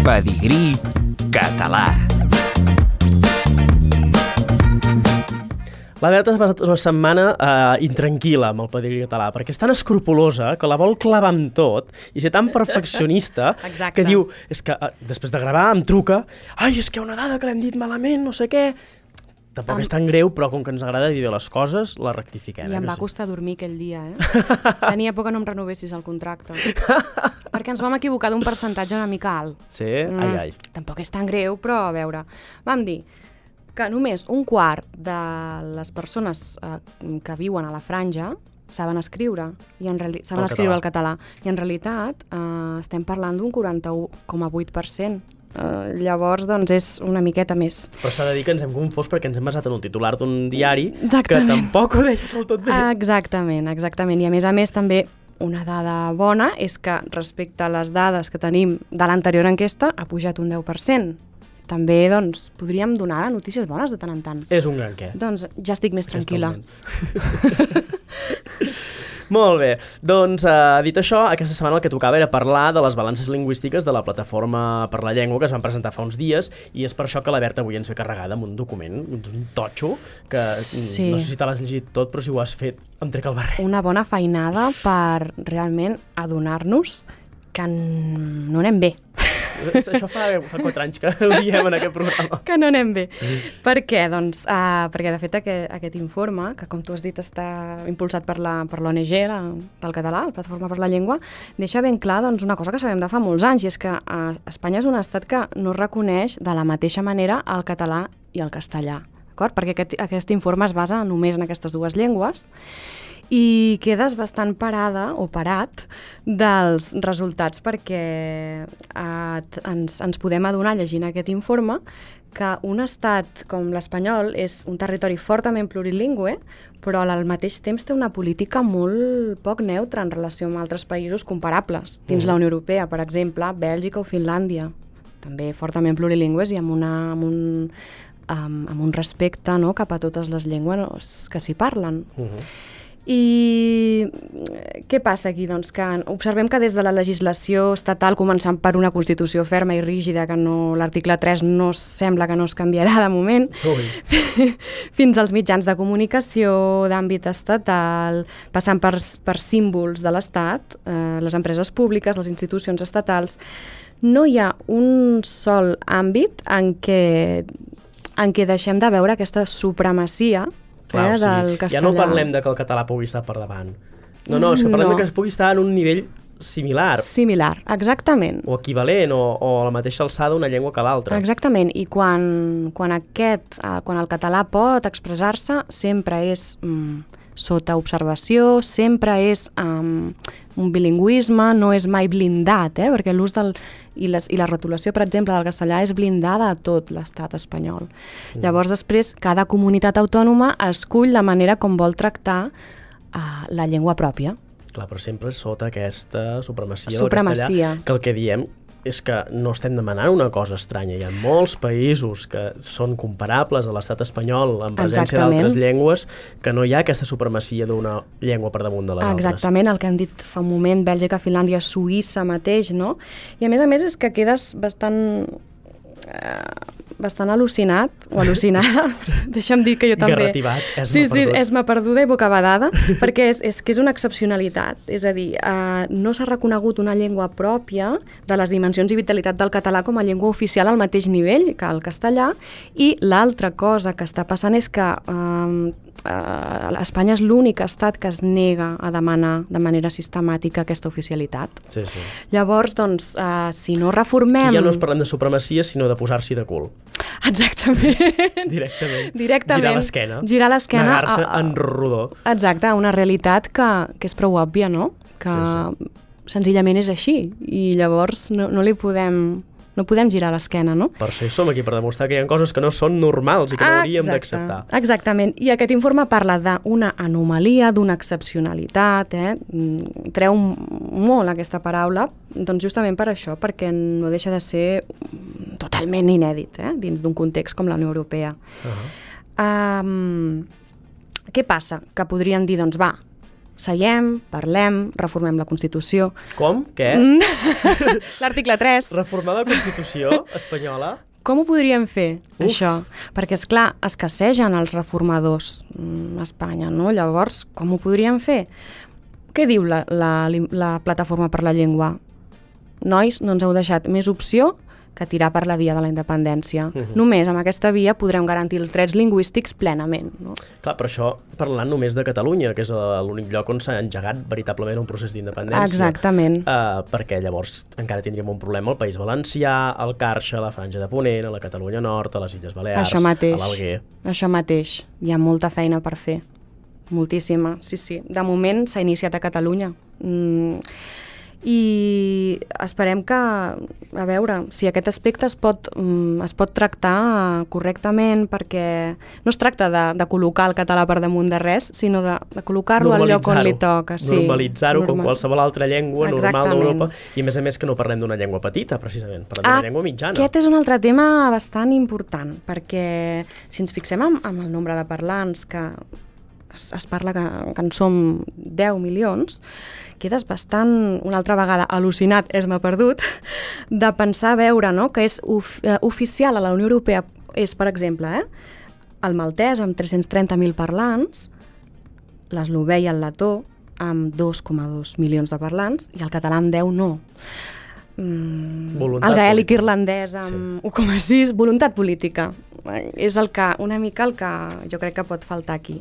Pedigrí català. La Berta ha passat una setmana intranquil·la amb el pedigrí català, perquè és tan escrupulosa que la vol clavar amb tot i ser tan perfeccionista que diu, és que després de gravar em truca, ai, és que hi ha una dada que l'hem dit malament, no sé què. Tampoc és tan greu, però com que ens agrada dir les coses, la rectifiquem. I em va costar dormir aquell dia, Tenia por que no em renovessis el contracte. Perquè ens vam equivocar d'un percentatge una mica alt. Sí? Ai. Tampoc és tan greu, però a veure, vam dir que només un quart de les persones que viuen a la franja saben escriure, saben escriure el català. I en realitat estem parlant d'un 41,8%. Llavors, doncs, és una miqueta més. Però s'ha de dir que ens hem confós perquè ens hem basat en un titular d'un diari que tampoc ho deia del tot bé. Exactament. I a més també una dada bona és que respecte a les dades que tenim de l'anterior enquesta ha pujat un 10%. També, doncs, podríem donar notícies bones de tant en tant. És un gran què. Doncs ja estic més tranquil·la. Molt bé. Doncs, dit això, aquesta setmana el que tocava era parlar de les balances lingüístiques de la Plataforma per la Llengua que es van presentar fa uns dies, i és per això que la Berta avui ens ve carregada amb un document, un totxo, que no sé si te l'has llegit tot, però si ho has fet, em trec el barret. Una bona feinada per realment adonar-nos que no anem bé. Això fa 4 anys que ho diem en aquest programa. Que no anem bé. Per què? Doncs perquè de fet aquest informe, que com tu has dit està impulsat per l'ONG, pel català, la Plataforma per la Llengua, deixa ben clar doncs, una cosa que sabem de fa molts anys, i és que Espanya és un estat que no reconeix de la mateixa manera el català i el castellà, d'acord? Perquè aquest informe es basa només en aquestes dues llengües, i quedes bastant parada o parat dels resultats, perquè ens podem adonar llegint aquest informe que un estat com l'espanyol és un territori fortament plurilingüe, però al mateix temps té una política molt poc neutra en relació amb altres països comparables dins la Unió Europea, per exemple, Bèlgica o Finlàndia, també fortament plurilingües i amb un respecte, no, cap a totes les llengües que s'hi parlen. I què passa aquí? Doncs que observem que des de la legislació estatal, començant per una Constitució ferma i rígida, que l'article 3 no sembla que no es canviarà de moment, fins als mitjans de comunicació d'àmbit estatal, passant per símbols de l'Estat, les empreses públiques, les institucions estatals, no hi ha un sol àmbit en què deixem de veure aquesta supremacia del castellà. Ja no parlem de que el català pugui estar per davant. No, és que parlem de que es pugui estar en un nivell similar. Similar, exactament. O equivalent, o a la mateixa alçada una llengua que l'altra. Exactament, i quan el català pot expressar-se, sempre és sota observació, sempre és un bilingüisme, no és mai blindat, perquè l'ús i la rotulació, per exemple, del castellà és blindada a tot l'estat espanyol. Llavors, després, cada comunitat autònoma escull la manera com vol tractar la llengua pròpia. Clar, però sempre sota aquesta supremacia del castellà, que el que diem és que no estem demanant una cosa estranya. Hi ha molts països que són comparables a l'estat espanyol en presència d'altres llengües, que no hi ha aquesta supremacia d'una llengua per damunt de les altres. Exactament, el que hem dit fa un moment, Bèlgica, Finlàndia, Suïssa mateix, no? I a més és que quedes bastant al·lucinat o al·lucinada, deixa'm dir que jo també... Garrativat, esma perduda i bocabadada, perquè és que és una excepcionalitat, és a dir, no s'ha reconegut una llengua pròpia de les dimensions i vitalitat del català com a llengua oficial al mateix nivell que el castellà, i l'altra cosa que està passant és que Espanya és l'únic estat que es nega a demanar de manera sistemàtica aquesta oficialitat. Sí. Llavors, doncs, si no reformem... Aquí ja no es parlem de supremacia, sinó de posar-s'hi de cul. Exactament. Directament. Girar l'esquena. Negar-se en rodó. Exacte, una realitat que és prou òbvia, no? Que senzillament és així, i llavors no podem girar l'esquena, no? Per això hi som aquí, per demostrar que hi ha coses que no són normals i que no hauríem d'acceptar. Exactament, i aquest informe parla d'una anomalia, d'una excepcionalitat, treu molt aquesta paraula, doncs justament per això, perquè no deixa de ser totalment inèdit, dins d'un context com la Unió Europea. Què passa? Que podríem dir, doncs va, seiem, parlem, reformem la Constitució. Com? Què? L'article 3. Reformar la Constitució espanyola? Com ho podríem fer, això? Perquè, esclar, escassegen els reformadors a Espanya, no? Llavors, com ho podríem fer? Què diu la Plataforma per la Llengua? Nois, no ens heu deixat més opció que tirar per la via de la independència. Només amb aquesta via podrem garantir els drets lingüístics plenament. No? Clar, però això parlant només de Catalunya, que és l'únic lloc on s'ha engegat veritablement un procés d'independència. Exactament. Perquè llavors encara tindríem un problema al País Valencià, al Carxa, a la Franja de Ponent, a la Catalunya Nord, a les Illes Balears, a l'Alguer. Això mateix. Hi ha molta feina per fer. Moltíssima, sí. De moment s'ha iniciat a Catalunya. I esperem que, a veure, si aquest aspecte es pot tractar correctament, perquè no es tracta de col·locar el català per damunt de res, sinó de col·locar-lo al lloc on li toca. Sí, normalitzar-ho com qualsevol altra llengua normal d'Europa, i a més que no parlem d'una llengua petita, precisament, parlem d'una llengua mitjana. Aquest és un altre tema bastant important, perquè si ens fixem en el nombre de parlants que es parla que en som 10 milions, quedes bastant, una altra vegada, al·lucinat, m'ha perdut, de pensar, veure, no?, que és oficial a la Unió Europea, és, per exemple, el maltès amb 330.000 parlants, l'eslovè i el letó amb 2,2 milions de parlants, i el català amb 10 no. El gaèlic irlandès amb 1,6, voluntat política. És una mica el que jo crec que pot faltar aquí.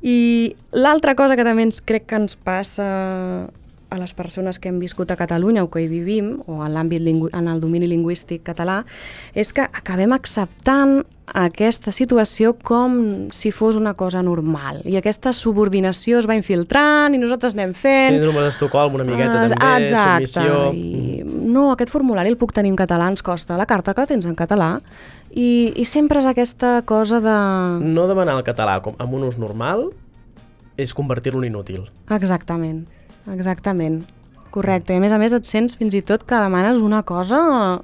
I l'altra cosa que també crec que ens passa a les persones que hem viscut a Catalunya o que hi vivim, o en el domini lingüístic català, és que acabem acceptant aquesta situació com si fos una cosa normal. I aquesta subordinació es va infiltrant i nosaltres anem fent... Síndrome d'Estocolm una miqueta també, submissió... No, aquest formulari el puc tenir en català, ens costa. La carta que la tens en català. I sempre és aquesta cosa de... No demanar el català amb un ús normal és convertir-lo en inútil. Exactament. Correcte. I a més et sents fins i tot que demanes una cosa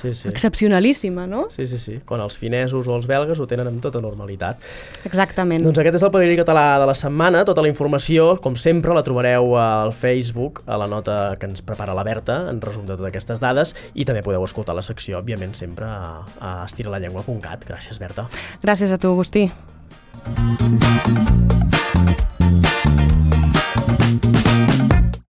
excepcionalíssima, no? Sí. Quan els finesos o els belgues ho tenen amb tota normalitat. Exactament. Doncs aquest és el Pedigrí Català de la setmana. Tota la informació, com sempre, la trobareu al Facebook, a la nota que ens prepara la Berta, en resum de totes aquestes dades, i també podeu escoltar la secció, òbviament, sempre a estiralallengua.cat. Gràcies, Berta. Gràcies a tu, Agustí.